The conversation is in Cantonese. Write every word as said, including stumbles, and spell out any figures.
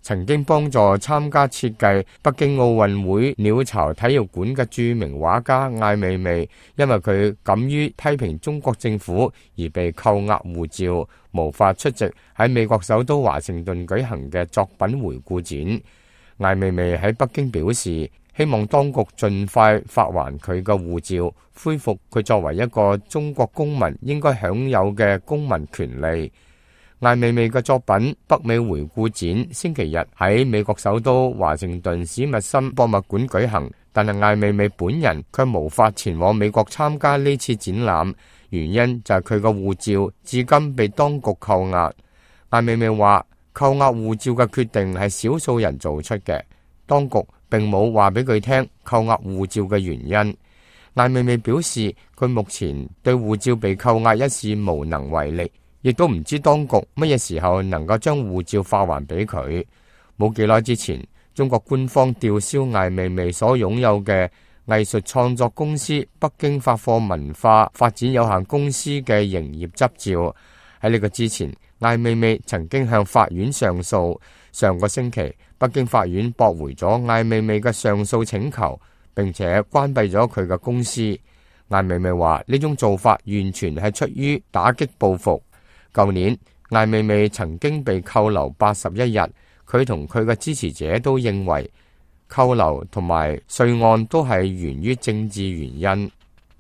曾經幫助參加設計北京奧運會鳥巢體育館嘅著名畫家艾未未，因為佢敢於批評中國政府而被扣押護照，無法出席喺美國首都華盛頓舉行嘅作品回顧展。艾未未喺北京表示，希望當局盡快發還佢嘅護照，恢復佢作為一個中國公民應該享有嘅公民權利。艾未未嘅作品《北美回顧展》星期日喺美國首都華盛頓史密森博物館舉行，但係艾未未本人卻無法前往美國參加呢次展覽，原因就係佢嘅護照至今被當局扣押。艾未未話，扣押護照嘅決定係少數人做出嘅，當局並冇話俾佢聽扣押護照嘅原因。艾未未表示，佢目前對護照被扣押一事無能為力，亦都唔知當局乜嘢時候能夠將護照發還俾佢。冇幾耐之前，中國官方吊銷艾未未所擁有嘅藝術創作公司北京發貨文化發展有限公司嘅營業執照。喺呢個之前，艾未未曾經向法院上訴。上個星期，北京法院駁回咗艾未未嘅上訴請求，並且關閉咗佢嘅公司。艾未未話呢種做法完全係出於打擊報復。舊年，艾未未曾經被扣留八十一日，佢同佢嘅支持者都認為扣留同埋稅案都係源於政治原因。